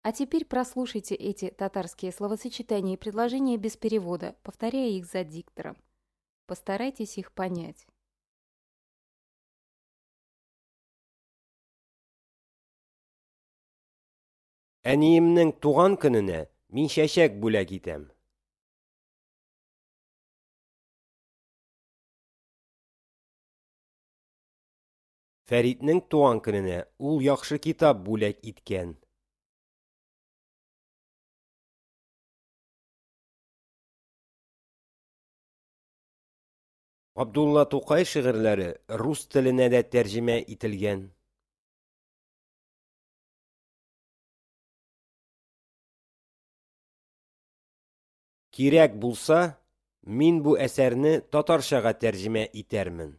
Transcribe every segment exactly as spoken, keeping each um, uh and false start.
А теперь прослушайте эти татарские словосочетания и предложения без перевода, повторяя их за диктором. Постарайтесь их понять. Әниемнең туган көненә мин чәчәк бүләк итәм. Фәритнең туган көненә ул яхшы китап бүләк иткән. Габдулла Тукай шигырьләре рус теленә дә тәрҗемә ителгән. Кирәк булса, мин бу әсәрне татарчага тәрҗемә итәрмен.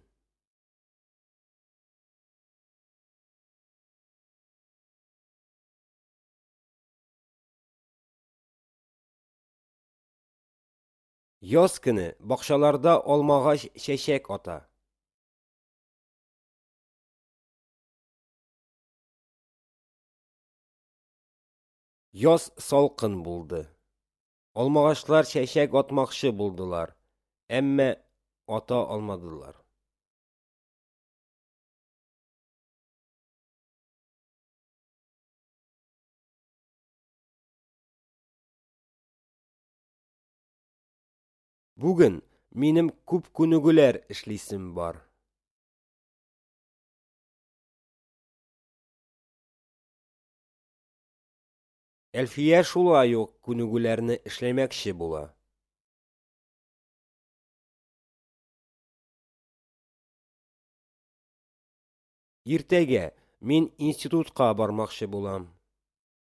Яз көне бакчаларда алмагач чәчәк ата. Яз салкын булды. Алмагачлар чәчәк атмакчы булдылар, әмма ата алмадылар. Бүген минем күп күнегүләр эшлисем бар. Әлфия шулай ук күнегүләрне эшләмәкче була. Иртәгә мин институтка бармакчы булам.